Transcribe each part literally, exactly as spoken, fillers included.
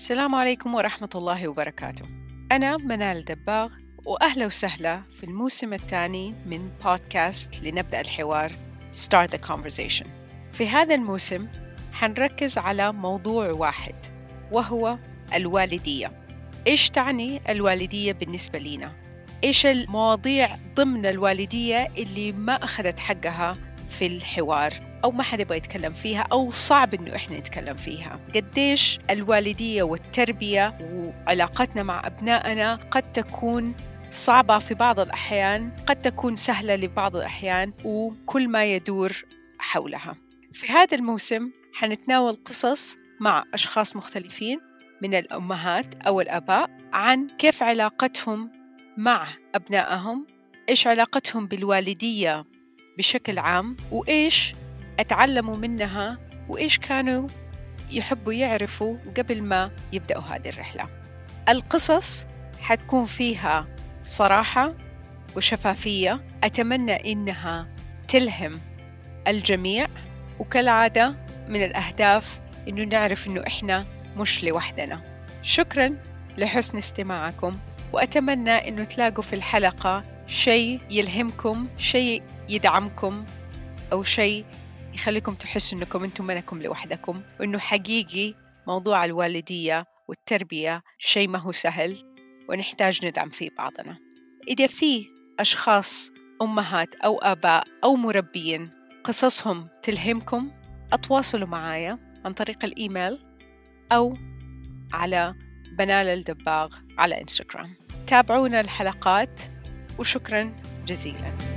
السلام عليكم ورحمة الله وبركاته. أنا منال دباغ، وأهلا وسهلا في الموسم الثاني من بودكاست لنبدأ الحوار Start the Conversation. في هذا الموسم حنركز على موضوع واحد، وهو الوالدية. إيش تعني الوالدية بالنسبة لنا؟ إيش المواضيع ضمن الوالدية اللي ما أخذت حقها في الحوار أو ما حد يبغى يتكلم فيها أو صعب إنه إحنا نتكلم فيها؟ قديش الوالدية والتربية وعلاقتنا مع أبنائنا قد تكون صعبة في بعض الأحيان، قد تكون سهلة لبعض الأحيان، وكل ما يدور حولها. في هذا الموسم حنتناول قصص مع أشخاص مختلفين من الأمهات أو الآباء عن كيف علاقتهم مع أبنائهم، إيش علاقتهم بالوالدية بشكل عام، وإيش أتعلموا منها، وإيش كانوا يحبوا يعرفوا قبل ما يبدأوا هذه الرحلة. القصص حتكون فيها صراحة وشفافية، أتمنى إنها تلهم الجميع، وكالعادة من الأهداف إنه نعرف إنه إحنا مش لوحدنا. شكراً لحسن استماعكم، وأتمنى إنه تلاقوا في الحلقة شيء يلهمكم، شيء يدعمكم، أو شيء يخليكم تحسوا إنكم أنتم منكم لوحدكم، وإنه حقيقي موضوع الوالدية والتربية شيء ما هو سهل، ونحتاج ندعم فيه بعضنا. إذا في أشخاص أمهات أو آباء أو مربين قصصهم تلهمكم، أتواصلوا معايا عن طريق الإيميل أو على منال الدباغ على إنستغرام. تابعونا الحلقات، وشكراً جزيلاً.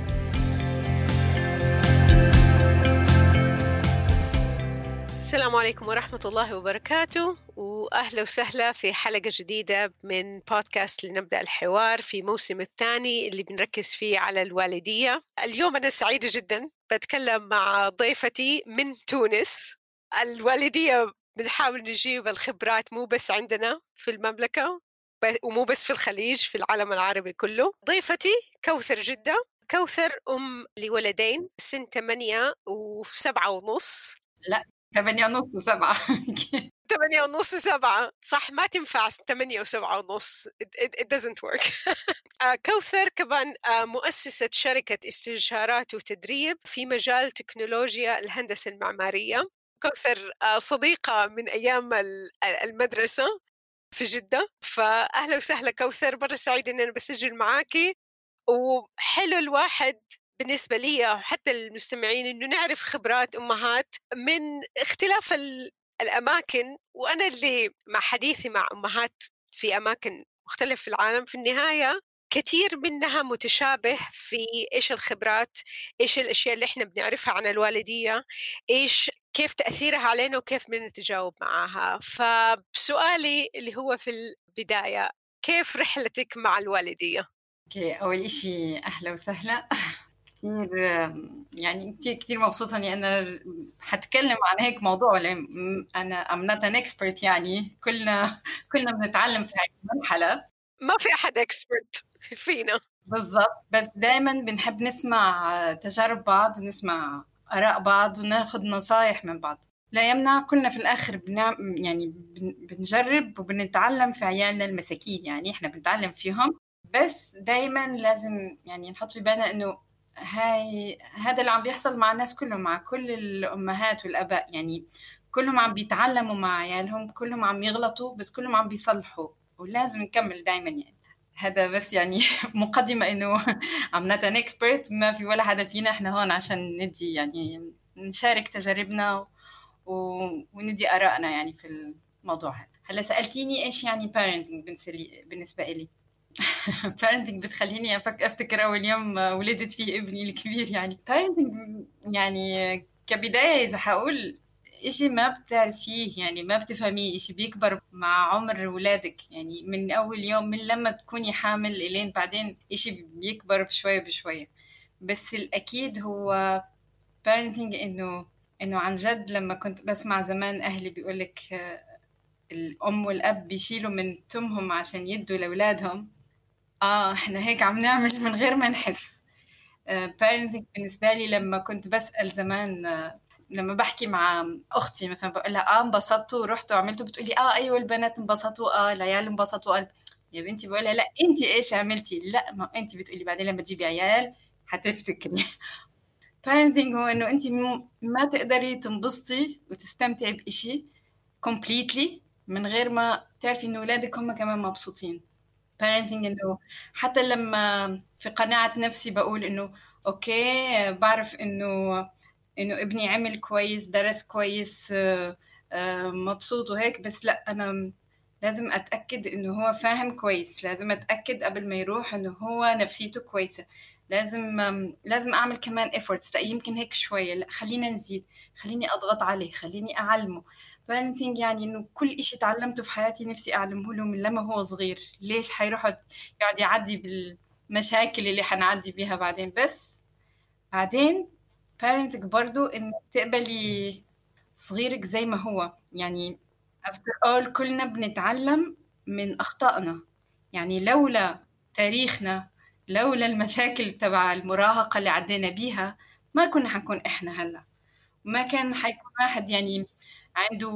السلام عليكم ورحمة الله وبركاته، وأهلا وسهلا في حلقة جديدة من بودكاست لنبدأ الحوار في موسم الثاني اللي بنركز فيه على الوالدية. اليوم أنا سعيدة جدا بتكلم مع ضيفتي من تونس. الوالدية بنحاول نجيب الخبرات مو بس عندنا في المملكة ومو بس في الخليج، في العالم العربي كله. ضيفتي كوثر جدة. كوثر أم لولدين سن ثمانية وسبعة ونص. لا ثمانية ونص وسبعة. ثمانية ونص وسبعة صح، ما تنفع ثمانية وسبعة ونص. it, it, it doesn't work. كوثر كمان مؤسسة شركة استشارات وتدريب في مجال تكنولوجيا الهندسة المعمارية. كوثر صديقة من أيام المدرسة في جدة. فأهلا وسهلا كوثر، مرة سعيدة أن أنا بسجل معاكي. وحلو الواحد بالنسبة لي وحتى المستمعين إنه نعرف خبرات أمهات من اختلاف الأماكن. وأنا اللي مع حديثي مع أمهات في أماكن مختلفة في العالم، في النهاية كثير منها متشابه في إيش الخبرات، إيش الأشياء اللي إحنا بنعرفها عن الوالدية، إيش كيف تأثيرها علينا وكيف بنتجاوب معها. فسؤالي اللي هو في البداية، كيف رحلتك مع الوالدية؟ اوكي، اول اشي اهلا وسهلا. كتير يعني كتير كتير مبسوطه اني انا حتكلم عن هيك موضوع. ولا انا I'm not an expert، يعني كلنا كلنا بنتعلم في هاي المرحله، ما في احد expert فينا بالضبط. بس دائما بنحب نسمع تجارب بعض ونسمع اراء بعض وناخذ نصايح من بعض. لا يمنع كلنا في الاخر بنعم يعني بنجرب وبنتعلم في عيالنا المساكين، يعني احنا بنتعلم فيهم. بس دايما لازم يعني نحط في بالنا انه هاي هذا اللي عم بيحصل مع الناس كلهم، مع كل الامهات والاباء، يعني كلهم عم بيتعلموا مع عيالهم، كلهم عم يغلطوا بس كلهم عم بيصلحوا، ولازم نكمل دايما. يعني هذا بس يعني مقدمة انه I'm not an expert، ما في ولا حدا فينا، احنا هون عشان ندي يعني نشارك تجاربنا و... وندي آرائنا يعني في الموضوع هذا. هلا سألتيني ايش يعني parenting بالنسبة لي. parenting بتخليني أفك... افتكر اول يوم ولدت فيه ابني الكبير. يعني parenting يعني كبداية اذا حقول إشي ما بتعرفيه، يعني ما بتفهميه، إشي بيكبر مع عمر ولادك، يعني من أول يوم، من لما تكوني حامل إلين بعدين إشي بيكبر بشوية بشوية. بس الأكيد هو parenting إنه إنه عن جد لما كنت بسمع زمان أهلي بيقولك الأم والأب بيشيلوا من تمهم عشان يدوا لأولادهم، آه إحنا هيك عم نعمل من غير ما نحس. parenting بالنسبة لي لما كنت بسأل زمان لما بحكي مع أختي مثلا بقول لها آه انبسطتوا ورحتوا وعملتوا، بتقولي آه أيوة البنات انبسطوا، آه العيال انبسطوا. قلب يا بنتي بقولها لا أنت إيش عملتي؟ لا ما أنت بتقولي بعدين لما تجيبي عيال هتفتكري. parenting هو إنه أنت ما تقدري تنبسطي وتستمتعي بإشي completely من غير ما تعرفي إنه أولادك هم كمان مبسوطين. parenting إنه حتى لما في قناعة نفسي بقول إنه أوكي بعرف إنه إنه ابني عمل كويس، درس كويس، مبسوط وهيك، بس لأ أنا لازم أتأكد إنه هو فاهم كويس، لازم أتأكد قبل ما يروح إنه هو نفسيته كويسة، لازم لازم أعمل كمان efforts. لا يمكن هيك شوية، لا خلينا نزيد، خليني أضغط عليه، خليني أعلمه. parenting يعني إنه كل إشي تعلمته في حياتي نفسي أعلمه له من لما هو صغير. ليش حيروح يقعد يعدي بالمشاكل اللي حنعدي بيها بعدين؟ بس بعدين parenting برضو إنه تقبلي صغيرك زي ما هو. يعني after all كلنا بنتعلم من أخطائنا. يعني لولا تاريخنا، لولا المشاكل تبع المراهقة اللي عدينا بيها، ما كنا حنكون إحنا هلا، ما كان حيكون واحد يعني عنده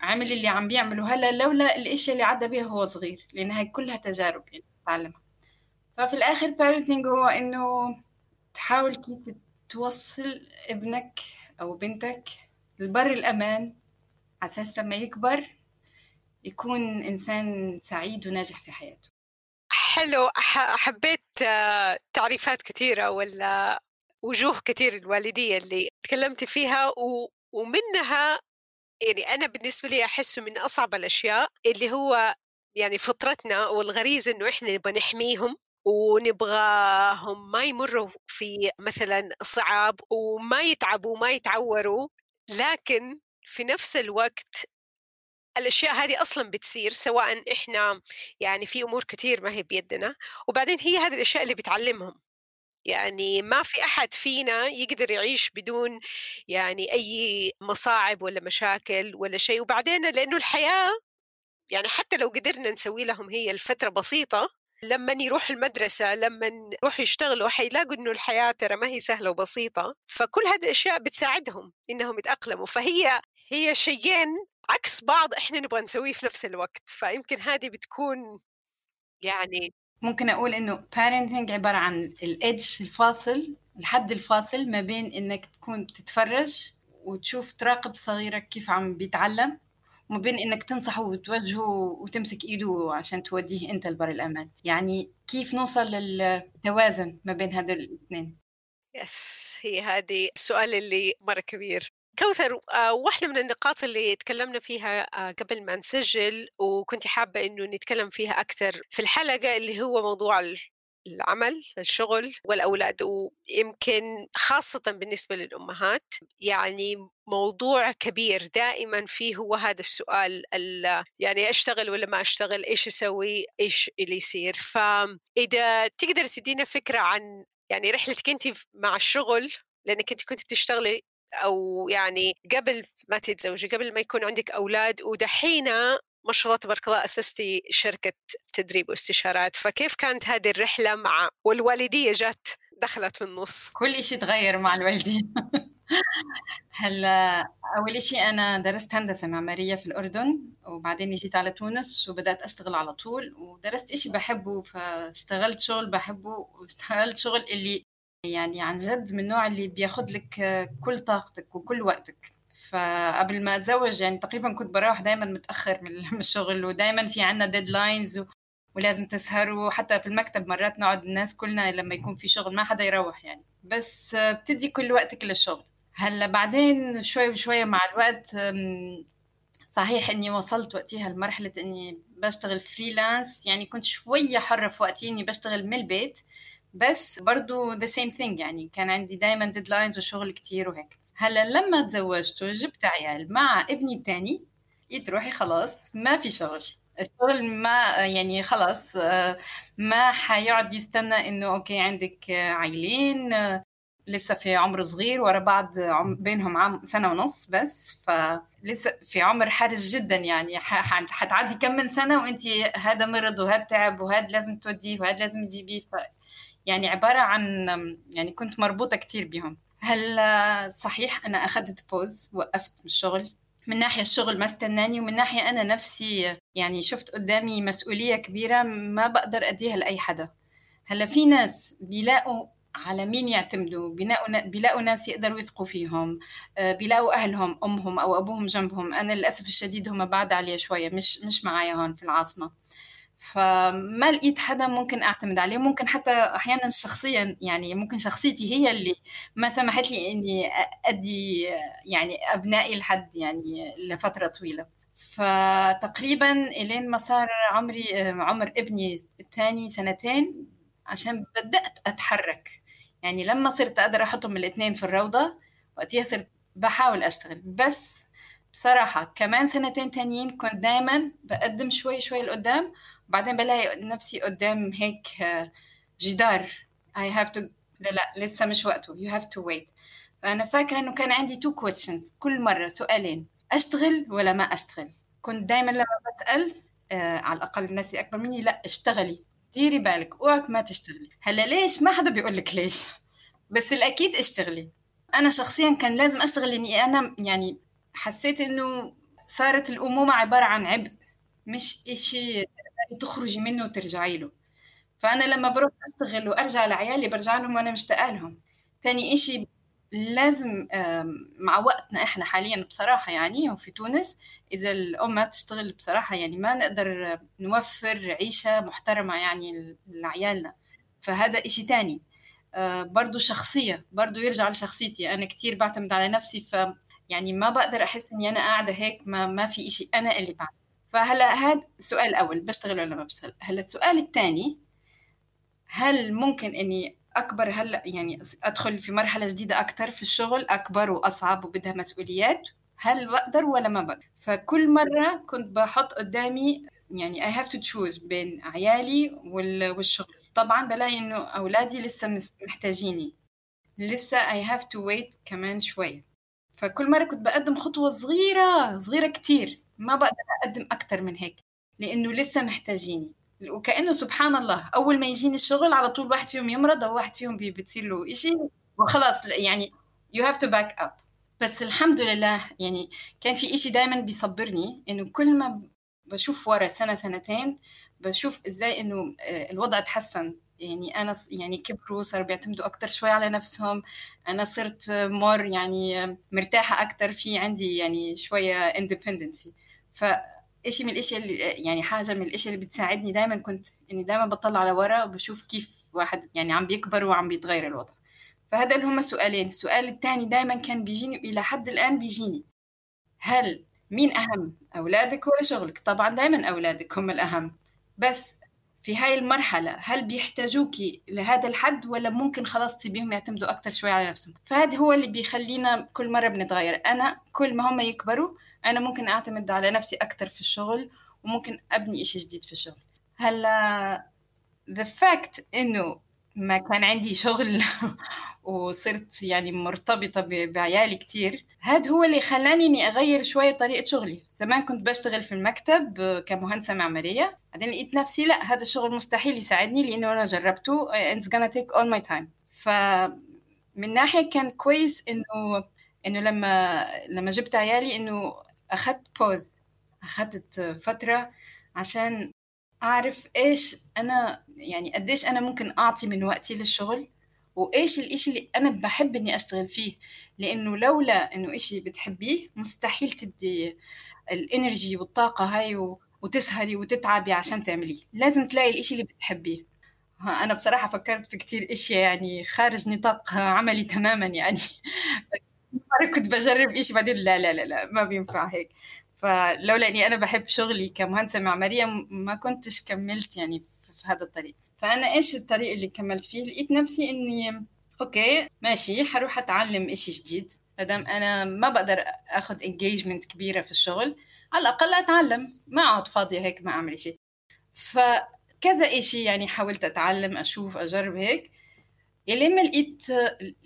عمل اللي عم بيعمله هلا لولا الاشياء اللي عدى بيها هو صغير، لأن هاي كلها تجارب يعني تعلمها. ففي الآخر parenting هو إنه تحاول كيف توصل ابنك أو بنتك لبر الأمان على أساس لما يكبر يكون إنسان سعيد وناجح في حياته. حلو. حبيت تعريفات كثيرة ولا وجوه كثير الوالدية اللي تكلمت فيها، ومنها يعني أنا بالنسبة لي أحس من أصعب الأشياء اللي هو يعني فطرتنا والغريزة إنه إحنا نبغى نحميهم ونبغاهم ما يمروا في مثلا صعاب وما يتعبوا وما يتعوروا، لكن في نفس الوقت الأشياء هذه أصلاً بتصير سواء إحنا يعني في أمور كتير ما هي بيدنا، وبعدين هي هذه الأشياء اللي بتعلمهم. يعني ما في أحد فينا يقدر يعيش بدون يعني أي مصاعب ولا مشاكل ولا شيء. وبعدين لأنه الحياة يعني حتى لو قدرنا نسوي لهم هي الفترة بسيطة، لما يروح المدرسة لما يروح يشتغلوا حيلاقوا إنه الحياة ترى ما هي سهلة وبسيطة. فكل هذه الأشياء بتساعدهم إنهم يتأقلموا. فهي هي شيئين عكس بعض إحنا نبغى نسويه في نفس الوقت. فيمكن هذه بتكون يعني ممكن أقول إنه parenting عبارة عن الإدج الفاصل، الحد الفاصل ما بين إنك تكون تتفرج وتشوف تراقب صغيرك كيف عم بيتعلم، وما بين إنك تنصحه وتوجهه وتمسك إيده عشان توديه أنت لبر الأمان. يعني كيف نوصل للتوازن ما بين هذول الاثنين؟ يس هي هذه السؤال اللي مرة كبير. كوثر، آه، واحدة من النقاط اللي تكلمنا فيها آه، قبل ما نسجل وكنت حابة إنه نتكلم فيها أكثر في الحلقة اللي هو موضوع العمل، الشغل والأولاد، ويمكن خاصة بالنسبة للأمهات يعني موضوع كبير دائما فيه هو هذا السؤال، يعني أشتغل ولا ما أشتغل، إيش أسوي، إيش اللي يصير. فإذا تقدر تدينا فكرة عن يعني رحلتك أنت مع الشغل، لأنك أنت كنت بتشتغلي أو يعني قبل ما تتزوجي، قبل ما يكون عندك أولاد، ودحينا ما شاء الله تبارك الله أسستي شركة تدريب واستشارات. فكيف كانت هذه الرحلة مع والوالدية جات دخلت في النص؟ كل إشي تغير مع الوالدية. هلا أول شيء أنا درست هندسة معمارية في الأردن، وبعدين جيت على تونس وبدأت أشتغل على طول، ودرست إشي بحبه فاشتغلت شغل بحبه، واشتغلت شغل اللي يعني عن جد من النوع اللي بياخد لك كل طاقتك وكل وقتك. فقبل ما أتزوج يعني تقريبا كنت بروح دايما متأخر من الشغل، ودايما في عنا ديدلاينز ولازم تسهروا، حتى في المكتب مرات نقعد الناس كلنا لما يكون في شغل ما حدا يروح يعني، بس بتدي كل وقتك للشغل. هلا بعدين شوي بشوية مع الوقت صحيح اني وصلت وقتها لمرحلة اني بشتغل فريلانس، يعني كنت شوية حرة في وقتي اني بشتغل من البيت، بس برضو the same thing يعني كان عندي دايما ديدلاينز وشغل كتير وهيك. هلا لما تزوجت وجبت عيال مع ابني الثاني يتروحي خلاص ما في شغل، الشغل ما يعني خلاص ما حيقعد يستنى انه اوكي عندك عيلين لسه في عمر صغير ورا بعض بينهم عام سنة ونص بس، فلسه في عمر حرج جدا يعني حتعدي كم من سنة وانتي هذا مرض وهذا تعب وهذا لازم توديه وهذا لازم تجيبيه. ف يعني عبارة عن يعني كنت مربوطة كتير بهم. هل صحيح أنا أخذت بوز، وقفت من الشغل. من ناحية الشغل ما استناني، ومن ناحية أنا نفسي يعني شفت قدامي مسؤولية كبيرة ما بقدر أديها لأي حدا. هلا في ناس بيلاقوا على مين يعتمدوا، بيلاقوا بيلاقوا ناس يقدروا يثقوا فيهم، بيلاقوا أهلهم أمهم أو أبوهم جنبهم. أنا للأسف الشديد هم بعد علي شوية، مش مش معايا هون في العاصمة، فما لقيت حدا ممكن أعتمد عليه. ممكن حتى أحيانا شخصيا يعني ممكن شخصيتي هي اللي ما سمحت لي إني أدي يعني أبنائي لحد يعني لفترة طويلة. فتقريبا إلين ما صار عمري عمر ابني الثاني سنتين عشان بدأت أتحرك. يعني لما صرت أقدر أحطهم الاثنين في الروضة وقتها صرت بحاول أشتغل. بس بصراحة كمان سنتين تانيين كنت دايما بقدم شوي شوي لقدام، وبعدين بلاقي نفسي قدام هيك جدار I have to لا لا لسه مش وقته you have to wait. فأنا فاكرة أنه كان عندي two questions كل مرة، سؤالين: أشتغل ولا ما أشتغل؟ كنت دايما لما بسأل آه على الأقل الناس أكبر مني، لا اشتغلي، ديري بالك اوعك ما تشتغلي. هلا ليش؟ ما حدا بيقولك ليش، بس الأكيد اشتغلي. أنا شخصيا كان لازم أشتغل لأني أنا يعني حسيت إنه صارت الأمومة عبارة عن عبء، مش إشي تخرجي منه وترجعي له. فأنا لما بروح أشتغل وأرجع لعيالي برجع لهم وأنا مشتاقة لهم. تاني إشي لازم مع وقتنا إحنا حاليا بصراحة يعني وفي تونس إذا الأم تشتغل بصراحة يعني ما نقدر نوفر عيشة محترمة يعني لعيالنا. فهذا إشي تاني برضو شخصية، برضو يرجع لشخصيتي. أنا كتير بعتمد على نفسي، ف يعني ما بقدر أحس إني أنا قاعدة هيك ما, ما في إشي أنا اللي بعمل. فهلا هذا السؤال الأول، بشتغل ولا ما بشتغل. هلا السؤال الثاني: هل ممكن إني أكبر هلا يعني أدخل في مرحلة جديدة أكتر في الشغل، أكبر وأصعب وبدها مسؤوليات؟ هل بقدر ولا ما بقدر؟ فكل مرة كنت بحط قدامي يعني I have to choose بين عيالي والشغل. طبعا بلاقي إنه أولادي لسه محتاجيني، لسه I have to wait كمان شوي. فكل مرة كنت بقدم خطوة صغيرة صغيرة كتير، ما بقدر أقدم أكتر من هيك لأنه لسه محتاجيني. وكأنه سبحان الله أول ما يجيني الشغل على طول واحد فيهم يمرض أو واحد فيهم بتصير له إشي وخلاص يعني you have to back up. بس الحمد لله يعني كان في إشي دايما بيصبرني، إنه كل ما بشوف ورا سنة سنتين بشوف إزاي إنه الوضع تحسن. يعني أنا يعني كبروا صاروا بيعتمدوا أكتر شوي على نفسهم، أنا صرت مور يعني مرتاحة أكتر، في عندي يعني شوية independence. فإشي من الإشي اللي يعني حاجة من الإشي اللي بتساعدني دايما كنت إني دايما بطلع على ورا وبشوف كيف واحد يعني عم بيكبر وعم بيتغير الوضع. فهذا اللي هم السؤالين. السؤال الثاني دايما كان بيجيني إلى حد الآن بيجيني: هل مين أهم، أولادك ولا شغلك؟ طبعا دايما أولادك هم الأهم، بس في هاي المرحلة هل بيحتاجوكي لهذا الحد ولا ممكن خلاص تسيبيهم يعتمدوا أكتر شوي على نفسهم؟ فهذا هو اللي بيخلينا كل مرة بنتغير. أنا كل ما هم يكبروا أنا ممكن أعتمد على نفسي أكتر في الشغل وممكن أبني إشي جديد في الشغل. هلا the fact إنه ما كان عندي شغل وصرت يعني مرتبطة بعيالي كتير، هذا هو اللي خلاني إني أغير شوية طريقة شغلي. زمان كنت بشتغل في المكتب كمهندسة معمارية، بعدين لقيت نفسي لا، هذا الشغل مستحيل يساعدني لأنه أنا جربته it's gonna take all my time. فمن ناحية كان كويس إنه إنه لما لما جبت عيالي إنه أخذت بوز، أخذت فترة عشان أعرف إيش أنا يعني قديش أنا ممكن أعطي من وقتي للشغل وإيش الإشي اللي أنا بحب إني أشتغل فيه. لأنه لولا إنه إشي بتحبيه مستحيل تدي الإنرجي والطاقة هاي وتسهري وتتعبي عشان تعمليه. لازم تلاقي الإشي اللي بتحبيه. أنا بصراحة فكرت في كتير إشي يعني خارج نطاق عملي تماما يعني مرة كنت بجرب إشي بعدين لا لا لا لا ما بينفع هيك. فلولا أني أنا بحب شغلي كمهندسة معمارية ما كنتش كملت يعني في هذا الطريق. فأنا إيش الطريق اللي كملت فيه؟ لقيت نفسي إني أوكي ماشي حروح أتعلم إشي جديد، مادام أنا ما بقدر أخذ engagement كبيرة في الشغل على الأقل أتعلم، ما أقعد فاضية هيك ما أعمل إشي. فكذا إشي يعني حاولت أتعلم أشوف أجرب هيك، لما لقيت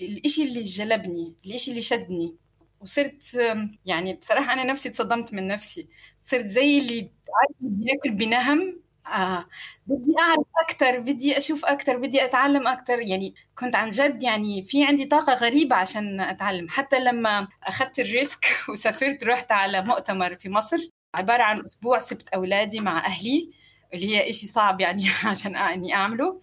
الإشي اللي جلبني، الإشي اللي شدني، وصرت يعني بصراحة أنا نفسي تصدمت من نفسي، صرت زي اللي بياكل بنهم آه بدي أعرف أكتر، بدي أشوف أكتر، بدي أتعلم أكتر. يعني كنت عن جد يعني في عندي طاقة غريبة عشان أتعلم. حتى لما أخذت الريسك وسافرت رحت على مؤتمر في مصر عبارة عن أسبوع سبت أولادي مع أهلي، اللي هي إشي صعب يعني عشان إني أعمله.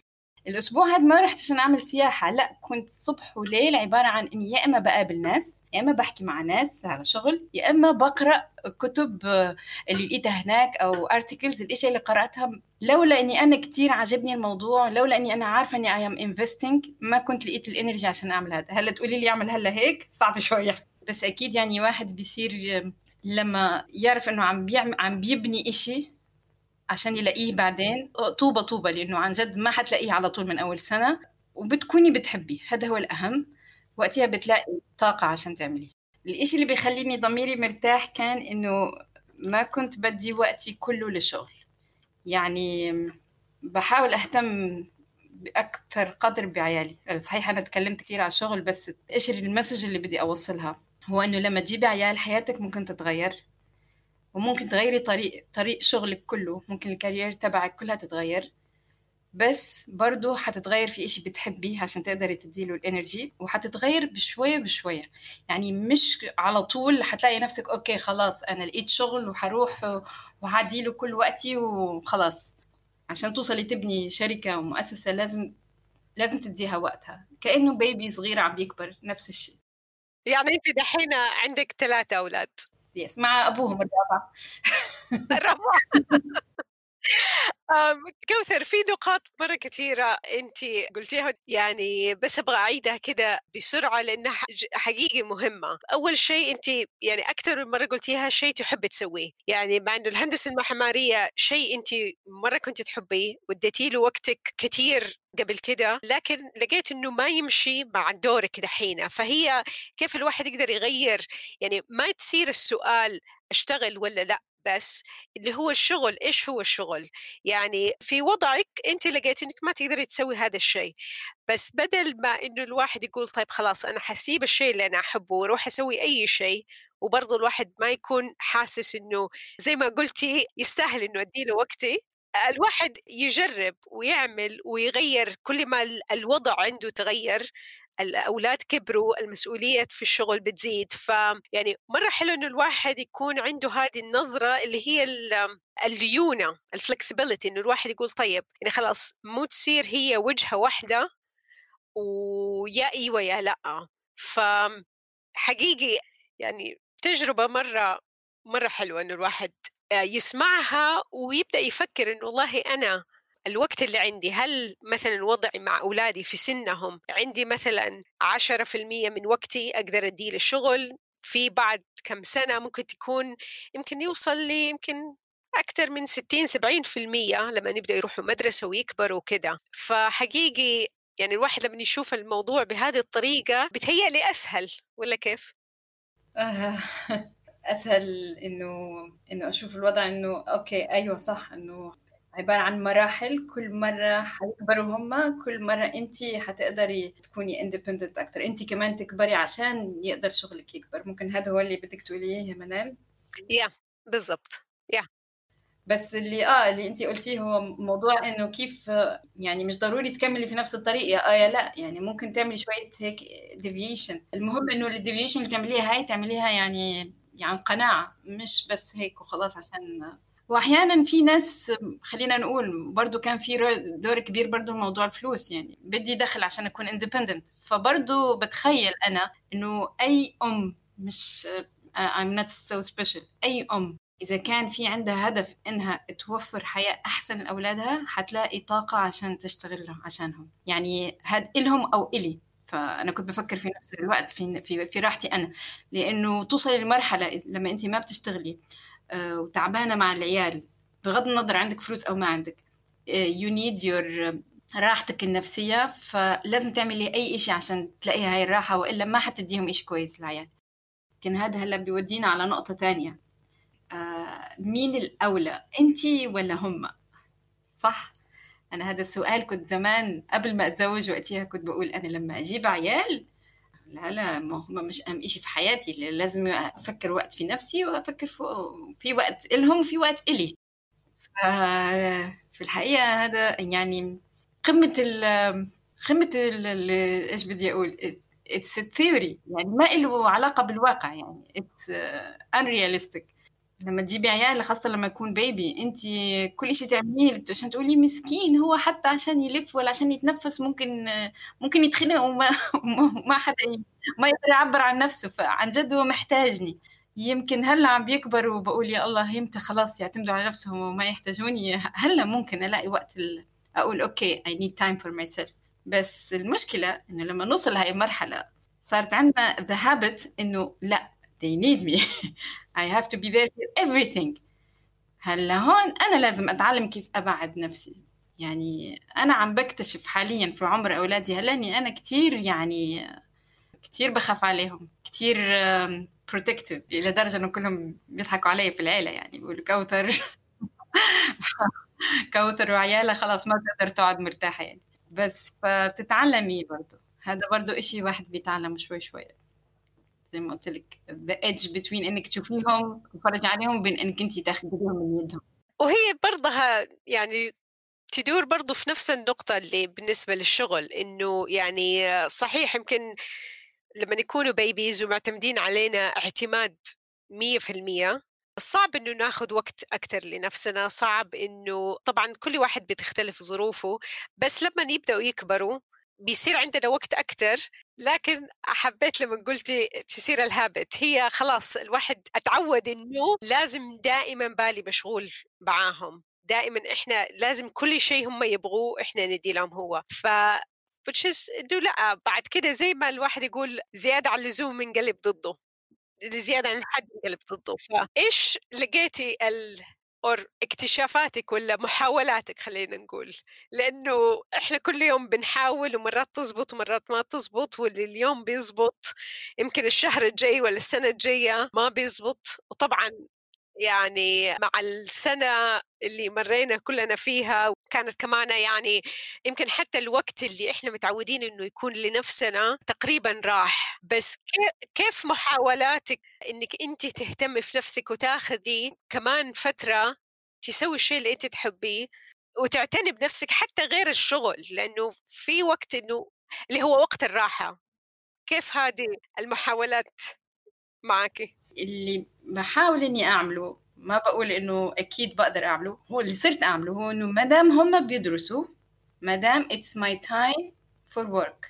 الأسبوع هذا ما رحت عشان أعمل سياحة، لا كنت صبح وليل عبارة عن إني يا إما بقابل ناس، يا إما بحكي مع ناس على شغل، يا إما بقرأ كتب اللي لقيتها هناك أو articles. الإشي اللي قرأتها لولا إني أنا كتير عجبني الموضوع، لولا إني أنا عارفة إني I am investing، ما كنت لقيت الإنرجي عشان أعمل هذا. هلا تقولي لي أعمل هلا هيك صعب شوية، بس أكيد يعني واحد بيصير لما يعرف إنه عم بيعمل عم بيبني إشي عشان يلاقيه بعدين طوبة طوبة، لأنه عن جد ما حتلاقيه على طول من أول سنة، وبتكوني بتحبيه. هذا هو الأهم، وقتها بتلاقي طاقة عشان تعمليه. الإشي اللي بيخليني ضميري مرتاح كان إنه ما كنت بدي وقتي كله للشغل. يعني بحاول أهتم بأكثر قدر بعيالي. صحيح أنا تكلمت كتير على الشغل، بس إيش المسج اللي بدي أوصلها هو إنه لما تجيبي عيال حياتك ممكن تتغير، وممكن تغيري طريق طريق شغلك كله، ممكن الكارير تبعك كلها تتغير، بس برضو حتتغير في إشي بتحبيه عشان تقدري تديله الانرجي، وحتتغير بشوية بشوية. يعني مش على طول حتلاقي نفسك أوكي خلاص أنا لقيت شغل وحروح وحديله كل وقتي وخلاص. عشان توصلي تبني شركة ومؤسسة لازم لازم تديها وقتها، كأنه بيبي صغير عم بيكبر. نفس الشيء. يعني أنت دحين عندك ثلاثة أولاد؟ يس، مع أبوهم الرابع. الرابع. آم، كوثر، في نقاط مرة كثيرة أنت قلتيها، يعني بس أبغى أعيدها كده بسرعة لأنها ح- حقيقي مهمة. أول شيء أنت يعني أكثر من مرة قلتيها شيء تحب تسويه، يعني مع إنه الهندسة المعمارية شيء أنت مرة كنت تحبيه واديتي له وقتك كثير قبل كده، لكن لقيت إنه ما يمشي مع دورك دحين. فهي كيف الواحد يقدر يغير، يعني ما تصير السؤال أشتغل ولا لا، بس اللي هو الشغل إيش هو الشغل. يعني في وضعك أنت لقيت إنك ما تقدري تسوي هذا الشيء، بس بدل ما إنه الواحد يقول طيب خلاص أنا حسيب الشيء اللي أنا أحبه وروح أسوي أي شيء، وبرضو الواحد ما يكون حاسس إنه زي ما قلتي يستاهل إنه أديله وقتي. الواحد يجرب ويعمل ويغير كل ما الوضع عنده تغير، الأولاد كبروا، المسؤولية في الشغل بتزيد. فيعني مرة حلو إنه الواحد يكون عنده هذه النظرة اللي هي الليونة، الفلكسبيليتي، إنه الواحد يقول طيب يعني خلاص مو تصير هي وجهة واحدة ويا إيوة يا لأ. فحقيقي يعني تجربة مرة مرة حلوة إنه الواحد يسمعها ويبدأ يفكر إنه والله أنا الوقت اللي عندي، هل مثلا وضعي مع أولادي في سنهم عندي مثلا عشرة في المية من وقتي أقدر أديه للشغل، في بعد كم سنة ممكن تكون يمكن يوصل لي يمكن أكثر من ستين سبعين في المية لما نبدأ يروحوا مدرسة ويكبروا كده. فحقيقي يعني الواحد لما يشوف الموضوع بهذه الطريقة بتهيألي أسهل، ولا كيف؟ آه، أسهل إنه إنه أشوف الوضع إنه أوكي أيوة صح، إنه عبارة عن مراحل، كل مرة حيكبروا هما، كل مرة أنتي حتقدري تكوني independent أكتر، أنتي كمان تكبري عشان يقدر شغلك يكبر. ممكن هذا هو اللي بدك تقوليه يا منال؟ يا بالضبط. يا بس اللي اه اللي انتي قلتيه هو موضوع انه كيف يعني مش ضروري تكملي في نفس الطريق يا اه يا لا، يعني ممكن تعملي شوية هيك ديفيشن. المهم انه الديفيشن اللي تعمليها هاي تعمليها يعني يعني قناعة، مش بس هيك وخلاص. عشان واحيانا في ناس، خلينا نقول برضو كان في دور كبير برضو موضوع الفلوس، يعني بدي دخل عشان اكون independent. فبرضو بتخيل انا انه اي ام، مش I'm not so special، اي ام إذا كان في عندها هدف إنها توفر حياة أحسن لأولادها حتلاقي طاقة عشان تشتغل عشانهم. يعني هاد إلهم أو إلي. فأنا كنت بفكر في نفس الوقت في في في راحتي أنا، لأنه توصلي لمرحلة لما أنت ما بتشتغلي آه، وتعبانة مع العيال، بغض النظر عندك فلوس أو ما عندك، آه، you need your راحتك النفسية، فلازم تعملي أي إشي عشان تلاقيها هاي الراحة، وإلا ما حتديهم إشي كويس للعيال. لكن هذا هلا بيودينا على نقطة تانية. آه، مين الأولى أنتي ولا هم؟ صح؟ أنا هذا السؤال كنت زمان قبل ما أتزوج وقتها كنت بقول أنا لما أجيب عيال لا لا، ما هم مش أهم إشي في حياتي، لازم أفكر وقت في نفسي وأفكر في, في وقت إلهم وفي وقت إلي. في الحقيقة هذا يعني قمة ال قمة ال إيش بدي أقول it's a theory يعني ما له علاقة بالواقع يعني it's unrealistic. لما تجيبي عيال خاصة لما يكون بيبي انت كل شيء تعمليه عشان تقولي مسكين هو حتى عشان يلف ولا عشان يتنفس ممكن ممكن يتخنق وما ما حدا ما يقدر يعبر عن نفسه. فعن جد هو محتاجني. يمكن هلا عم بيكبر وبقول يا الله يمتى خلاص يعتمدوا على نفسهم وما يحتاجوني. هلا ممكن ألاقي وقت أقول أوكي I need time for myself. بس المشكلة إنه لما نوصل هاي المرحلة صارت عندنا the habit إنه لا they need me I have to be there for everything. هلا هون أنا لازم أتعلم كيف أبعد نفسي. يعني أنا عم بكتشف حاليا في عمر أولادي هلا إني أنا كتير يعني كتير بخاف عليهم كتير protective إلى درجة إنه كلهم بيضحكوا علي في العيلة يعني بيقولوا كوثر كوثر وعيالها خلاص ما تقدر تقعد مرتاحة يعني. بس فتتعلمي برضو هذا برضو إشي واحد بيتعلم شوي شوي زي ما قلت لك the edge between إنك تشوفيهم تتفرج عليهم بين إنك أنتي تاخديهم من يدهم. وهي برضها يعني تدور برضو في نفس النقطة اللي بالنسبة للشغل إنه يعني صحيح يمكن لما يكونوا بيبيز ومعتمدين علينا اعتماد مية في المية صعب إنه ناخد وقت أكتر لنفسنا. صعب إنه طبعا كل واحد بتختلف ظروفه بس لما يبدأوا يكبروا بيصير عندنا وقت أكتر. لكن حبيت لما قلتي تصير الهابت هي خلاص الواحد أتعود إنه لازم دائما بالي مشغول معاهم دائما إحنا لازم كل شيء هم يبغوه إحنا ندي لهم هو. ف فشيس إنه لا بعد كده زي ما الواحد يقول زيادة على اللزوم من قلب ضده زيادة عن الحد من قلب ضده. فإيش لقيتي ال أو اكتشافاتك ولا محاولاتك خلينا نقول لأنه إحنا كل يوم بنحاول ومرات تزبط ومرات ما تزبط واللي اليوم بيزبط يمكن الشهر الجاي ولا السنة الجاية ما بيزبط. وطبعا يعني مع السنة اللي مرينا كلنا فيها وكانت كمان يعني يمكن حتى الوقت اللي إحنا متعودين إنه يكون لنفسنا تقريبا راح. بس كيف محاولاتك إنك أنت تهتمي في نفسك وتاخذي كمان فترة تسوي الشيء اللي أنت تحبيه وتعتني بنفسك حتى غير الشغل لأنه في وقت إنه اللي هو وقت الراحة. كيف هذه المحاولات معك؟ اللي بحاول إني أعمله ما بقول إنه أكيد بقدر أعمله هو اللي صرت أعمله هو إنه مادام هم بيدرسوا مادام it's my time for work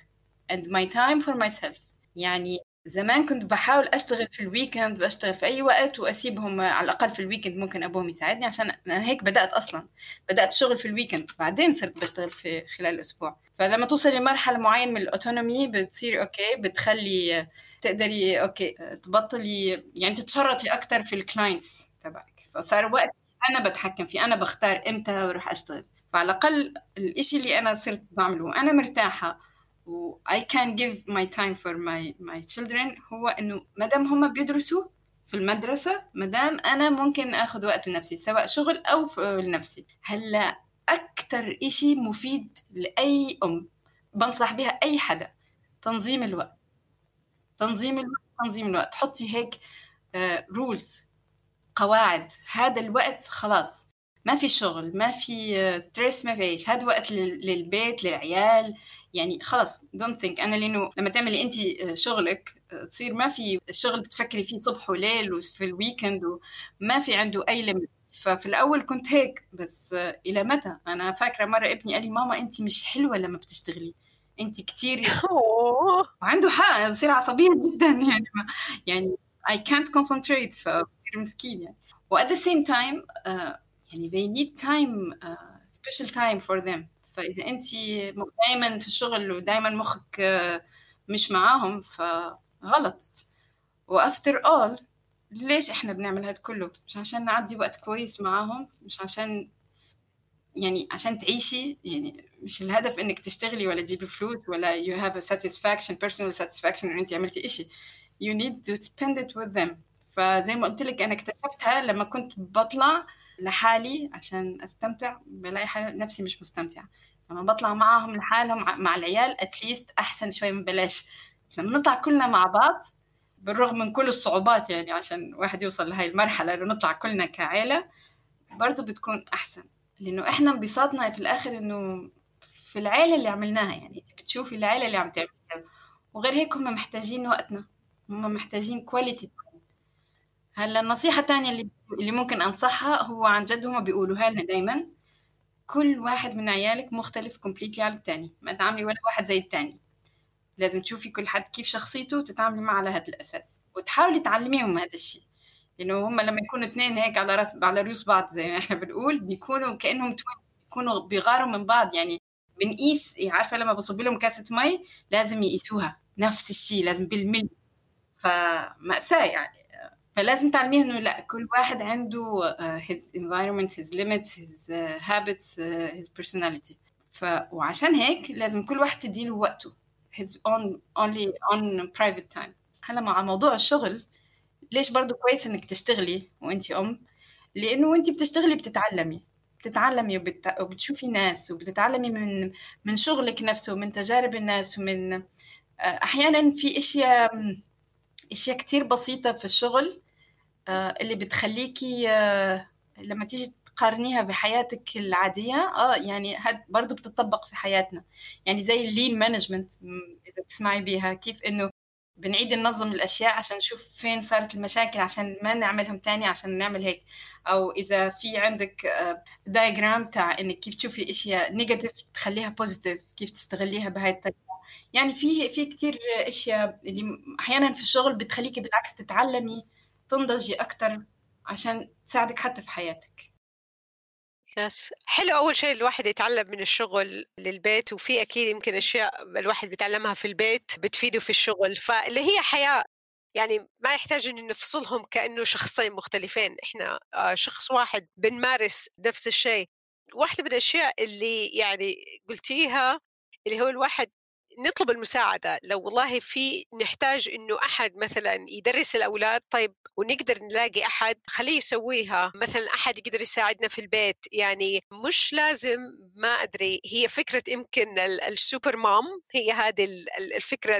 and my time for myself. يعني زمان كنت بحاول أشتغل في الويكند بشتغل في أي وقت وأسيبهم على الأقل في الويكند ممكن أبوهم يساعدني عشان أنا هيك بدأت أصلا بدأت شغل في الويكند بعدين صرت بشتغل في خلال الأسبوع. فلما توصل لمرحلة معينة من الأوتونومي بتصير أوكي بتخلي تقدري أوكي تبطلي يعني تتشرطي أكتر في الكلاينتس تبعك. فصار وقت أنا بتحكم فيه أنا بختار إمتى أروح أشتغل. فعلى الأقل الإشي اللي أنا صرت بعمله أنا مرتاحة و I can give my time for my my children هو إنه مدام هم بيدرسوا في المدرسة مدام أنا ممكن أخذ وقت لنفسي سواء شغل أو لنفسي. هلا أكتر إشي مفيد لأي أم بنصح بها أي حدا تنظيم الوقت. تنظيم الوقت تنظيم الوقت حطي هيك رولز قواعد. هذا الوقت خلاص ما في شغل ما في ستريس ما فيش هذا وقت للبيت للعيال يعني خلاص don't think. أنا لأنه لما تعملي أنت شغلك تصير ما في الشغل بتفكري فيه صبح وليل وفي الويكند وما في عنده أي ليميت. ففي الأول كنت هيك بس إلى متى. أنا فاكرة مرة ابني قال لي ماما أنت مش حلوة لما بتشتغلي أنت كتير وعنده حق بصير عصبية جدا يعني يعني I can't concentrate فبصير مسكين يعني. و at the same time uh, يعني they need time uh, special time for them. فإذا أنت دايما في الشغل ودايما مخك uh, مش معاهم فغلط. و after all ليش إحنا بنعمل هاد كله؟ مش عشان نعدي وقت كويس معاهم مش عشان يعني عشان تعيشي يعني مش الهدف إنك تشتغلي ولا تجيبي فلوس ولا you have a satisfaction personal satisfaction إن أنت عملتي إشي. you need to spend it with them. فزي ما قلت لك أنا اكتشفتها لما كنت بطلع لحالي عشان أستمتع بلاقي نفسي مش مستمتعة. لما بطلع معهم لحالهم مع العيال at least أحسن شوي من بلاش. لما نطلع كلنا مع بعض بالرغم من كل الصعوبات يعني عشان واحد يوصل لهاي المرحلة إنه نطلع كلنا كعائلة برضو بتكون أحسن. لأنه إحنا انبساطنا في الآخر إنه في العيلة اللي عملناها، يعني أنت بتشوفي العيلة اللي عم تعملها، وغير هيك هم محتاجين وقتنا، هم محتاجين quality time. هلا النصيحة الثانية اللي اللي ممكن أنصحها هو عن جد هم بيقولوها لنا دايما: كل واحد من عيالك مختلف completely على الثاني، ما تعاملي ولا واحد زي الثاني، لازم تشوفي كل حد كيف شخصيته وتتعاملي معه على هذا الأساس، وتحاولي تعلميهم هذا الشيء. لأنه هم لما يكونوا اثنين هيك على راس على رؤوس بعض زي ما احنا بنقول، بيكونوا كأنهم توين، بيكونوا بيغاروا من بعض. يعني بنقيس، عارفة لما بصب لهم كاسة مي لازم يقيسوها نفس الشيء، لازم بالملي، فمأساة يعني. فلازم تعلميه إنه لا، كل واحد عنده uh, his environment, his limits, his uh, habits, uh, his personality. ف وعشان هيك لازم كل واحد تديله وقته، his own only on private time. هلا مع موضوع الشغل، ليش برضو كويس إنك تشتغلي وإنتي أم؟ لأنه وإنتي بتشتغلي بتتعلمي بتتعلمي وبت... وبتشوفي ناس، وبتتعلمي من من شغلك نفسه، من تجارب الناس، ومن أحيانا في أشياء أشياء كتير بسيطة في الشغل اللي بتخليكي لما تيجي تقارنيها بحياتك العادية اه يعني هاد برضو بتطبق في حياتنا. يعني زي اللين مانجمنت، إذا بتسمعي بيها، كيف إنه بنعيد ننظم الأشياء عشان نشوف فين صارت المشاكل عشان ما نعملهم تاني، عشان نعمل هيك. أو إذا في عندك دايجرام تاع إنك كيف تشوفي أشياء نيجاتيف تخليها بوزيتيف، كيف تستغليها بهاي الطريقة. يعني في في كتير أشياء اللي أحيانا في الشغل بتخليكي بالعكس تتعلمي، تنضجي أكتر عشان تساعدك حتى في حياتك. يس حلو. أول شيء الواحد يتعلم من الشغل للبيت، وفي أكيد يمكن أشياء الواحد بيتعلمها في البيت بتفيده في الشغل، فاللي هي حياة يعني ما يحتاج إن نفصلهم كأنه شخصين مختلفين، إحنا شخص واحد بنمارس نفس الشيء. واحدة من الأشياء اللي يعني قلتيها اللي هو الواحد نطلب المساعدة. لو والله في نحتاج إنه أحد مثلا يدرس الأولاد، طيب ونقدر نلاقي أحد خليه يسويها، مثلا أحد يقدر يساعدنا في البيت. يعني مش لازم، ما أدري، هي فكرة يمكن السوبر مام، هي هذه الفكرة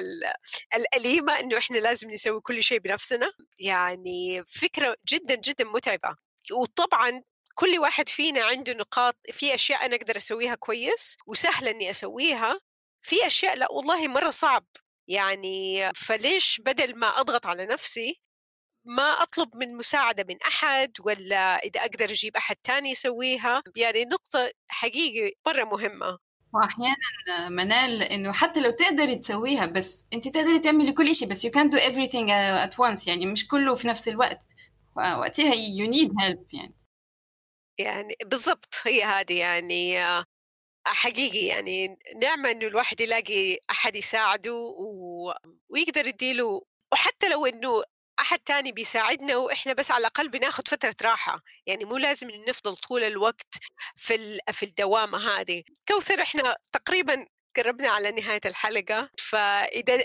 الأليمة إنه إحنا لازم نسوي كل شيء بنفسنا. يعني فكرة جدا جدا متعبة. وطبعا كل واحد فينا عنده نقاط، في أشياء أنا أقدر أسويها كويس وسهلة إني أسويها، في أشياء لا والله مرة صعب. يعني فليش بدل ما أضغط على نفسي ما أطلب من مساعدة من أحد، ولا إذا أقدر أجيب أحد تاني يسويها. يعني نقطة حقيقي مرة مهمة. وأحيانا منال إنه حتى لو تقدري تسويها، بس أنت تقدري تعملي كل إشي، بس you can't do everything at once، يعني مش كله في نفس الوقت، وقتها you need help. يعني يعني بالضبط هي هذه يعني حقيقي يعني نعمة إنه الواحد يلاقي أحد يساعده و... ويقدر يديله. وحتى لو إنه أحد تاني بيساعدنا وإحنا بس على الأقل بناخد فترة راحة، يعني مو لازم نفضل طول الوقت في ال... في الدوامة هذه. كوثر إحنا تقريبا قربنا على نهاية الحلقة، فإذا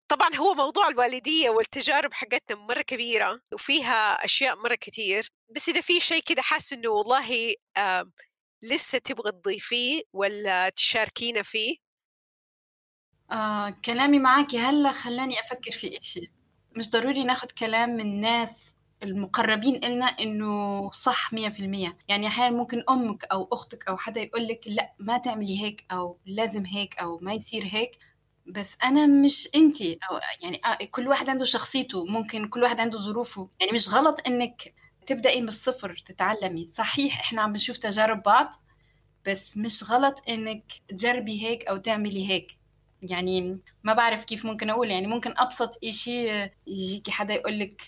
طبعا هو موضوع الوالدية والتجارب حقتنا مرة كبيرة وفيها أشياء مرة كتير، بس إذا في شيء كده حاس إنه والله آه لسه تبغى تضيفيه ولا تشاركينا فيه؟ آه، كلامي معاكي هلا خلاني أفكر في إشي. مش ضروري ناخد كلام من ناس المقربين إلنا إنه صح مية في المية. يعني أحيانا ممكن أمك أو أختك أو حدا يقولك لا ما تعملي هيك، أو لازم هيك، أو ما يصير هيك، بس أنا مش أنتي. أو يعني آه كل واحد عنده شخصيته، ممكن كل واحد عنده ظروفه. يعني مش غلط إنك تبدأي من الصفر تتعلمي. صحيح إحنا عم بنشوف تجارب بعض، بس مش غلط إنك تجربي هيك أو تعملي هيك. يعني ما بعرف كيف ممكن أقول. يعني ممكن أبسط إشي يجيكي حدا يقولك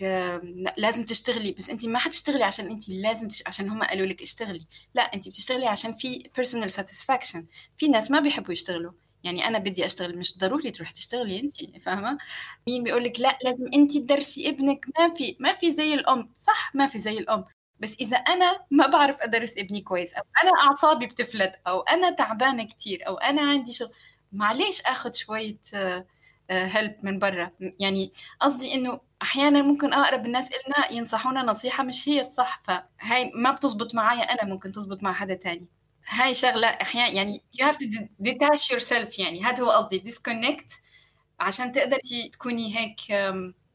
لازم تشتغلي، بس أنتي ما حتشتغلي عشان أنتي لازم تش... عشان هم قالوا لك اشتغلي. لا، أنتي بتشتغلي عشان في personal satisfaction. في ناس ما بيحبوا يشتغلوا، يعني أنا بدي أشتغل، مش ضروري تروح تشتغلي أنتي، فاهمة؟ مين بيقولك لا لازم أنتي تدرسي ابنك؟ ما في ما في زي الأم. صح ما في زي الأم، بس إذا أنا ما بعرف أدرس ابني كويس، أو أنا أعصابي بتفلت، أو أنا تعبانة كتير، أو أنا عندي شغل، معليش أخذ شوية هلب من برا. يعني قصدي إنه أحيانا ممكن أقرب الناس إلنا ينصحونا نصيحة مش هي الصح، فهاي ما بتزبط معايا أنا، ممكن تزبط مع حدا تاني. هاي شغلة أحيانا يعني you have to detach yourself. يعني هذا هو قصدي disconnect عشان تقدري تكوني هيك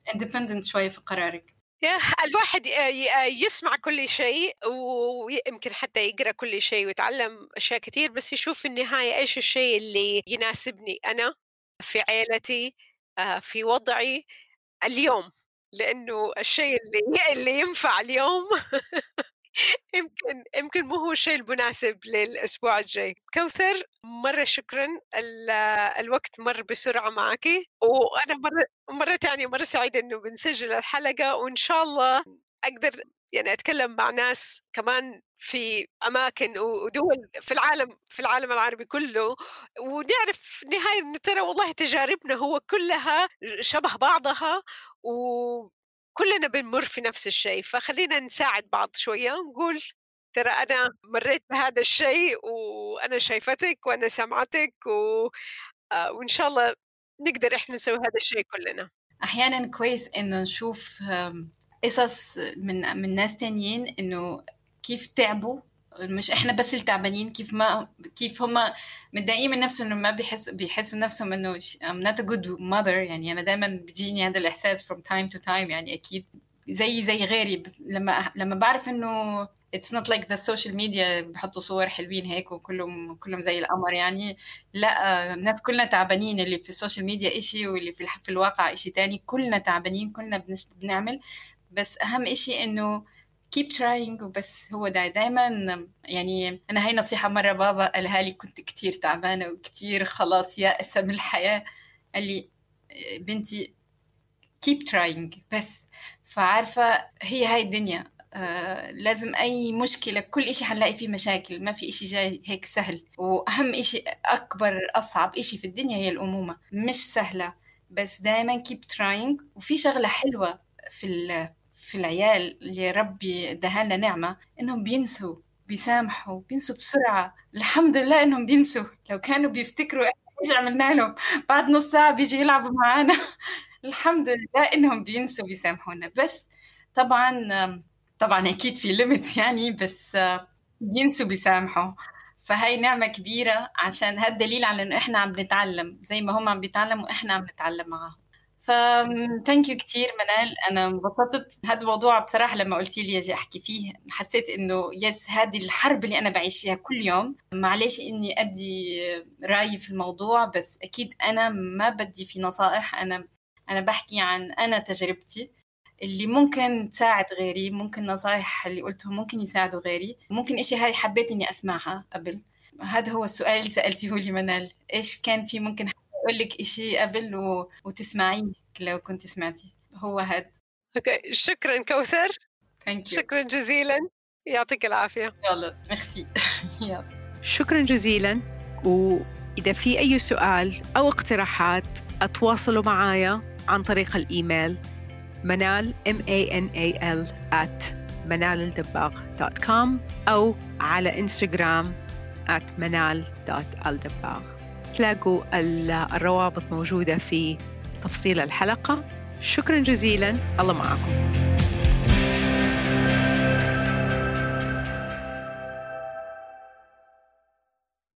independent شوية في قرارك. يا الواحد يسمع كل شيء ويمكن حتى يقرأ كل شيء ويتعلم أشياء كتير، بس يشوف في النهاية إيش الشيء اللي يناسبني أنا في عائلتي في وضعي اليوم، لأنه الشيء اللي اللي ينفع اليوم يمكن يمكن مو هو الشيء المناسب للأسبوع الجاي. كوثر مرة شكرا، الوقت مر بسرعة معك، وأنا مرة مرة تانية مرة سعيدة إنه بنسجل الحلقة، وإن شاء الله أقدر يعني أتكلم مع ناس كمان في أماكن ودول في العالم في العالم العربي كله، ونعرف نهاية إنه ترى والله تجاربنا هو كلها شبه بعضها وكلنا بنمر في نفس الشيء، فخلينا نساعد بعض شوية ونقول ترى أنا مريت بهذا الشيء وأنا شايفتك وأنا سمعتك و... آه وإن شاء الله نقدر إحنا نسوي هذا الشيء كلنا. أحيانا كويس إنه نشوف قصص من من ناس تانيين إنه كيف تعبوا، مش إحنا بس اللي تعبانين، كيف ما كيف هم متضايقين من نفسهم إنه ما بيحسوا بيحسوا نفسهم إنه I'm not a good mother. يعني أنا دائما بيجيني هذا الإحساس from time to time، يعني أكيد زي زي غيري، بس لما لما بعرف إنه it's not like the social media بحطوا صور حلوين هيك وكلهم كلهم زي القمر، يعني لا، الناس كلنا تعبانين، اللي في السوشيال ميديا إشي واللي في في الواقع إشي تاني، كلنا تعبانين، كلنا بنعمل، بس أهم إشي إنه keep trying. وبس هو دا دايما يعني أنا هاي نصيحة مرة بابا قالها لي، كنت كتير تعبانة وكتير خلاص يائسة من الحياة، قال لي بنتي keep trying بس. فعارفة هي هاي الدنيا، آه لازم أي مشكلة، كل إشي حنلاقي فيه مشاكل، ما في إشي جاي هيك سهل. وأهم إشي أكبر أصعب إشي في الدنيا هي الأمومة، مش سهلة، بس دايما keep trying. وفي شغلة حلوة في في العيال اللي ربي دهالنا نعمة، إنهم بينسوا بيسامحوا بينسوا بسرعة. الحمد لله إنهم بينسوا، لو كانوا بيفتكروا إيش عملنا لهم بعد نص ساعة بيجي يلعبوا معانا الحمد لله إنهم بينسوا بيسامحونا. بس طبعا طبعا أكيد في ليميت يعني، بس بينسوا بيسامحوا، فهاي نعمة كبيرة، عشان هذا دليل على إنه إحنا عم نتعلم زي ما هم عم بيتعلموا، إحنا عم نتعلم معهم. ف thank you كتير منال، أنا انبسطت هذا الموضوع بصراحة. لما قلتي لي أجي أحكي فيه حسيت إنه يس هذه الحرب اللي أنا بعيش فيها كل يوم، معليش إني أدي رأيي في الموضوع، بس أكيد أنا ما بدي في نصائح، أنا أنا بحكي عن أنا تجربتي اللي ممكن تساعد غيري، ممكن نصائح اللي قلتهم ممكن يساعدوا غيري، ممكن إشي هاي حبيت إني أسمعها قبل. هذا هو السؤال اللي سألتيه لي منال، إيش كان في ممكن أقول لك إشي قبل و... وتسمعين لو كنت سمعتي، هو هاد. أوكي شكرا كوثر، شكرا جزيلا، يعطيك العافية. يلا ميرسي. شكرا جزيلا، وإذا في أي سؤال أو اقتراحات أتواصلوا معايا عن طريق الإيميل منال m a n a l at manalaldabagh dot com أو على إنستغرام at manal dot aldabagh. تلاقوا الروابط موجودة في تفصيل الحلقة. شكرا جزيلا، الله معكم.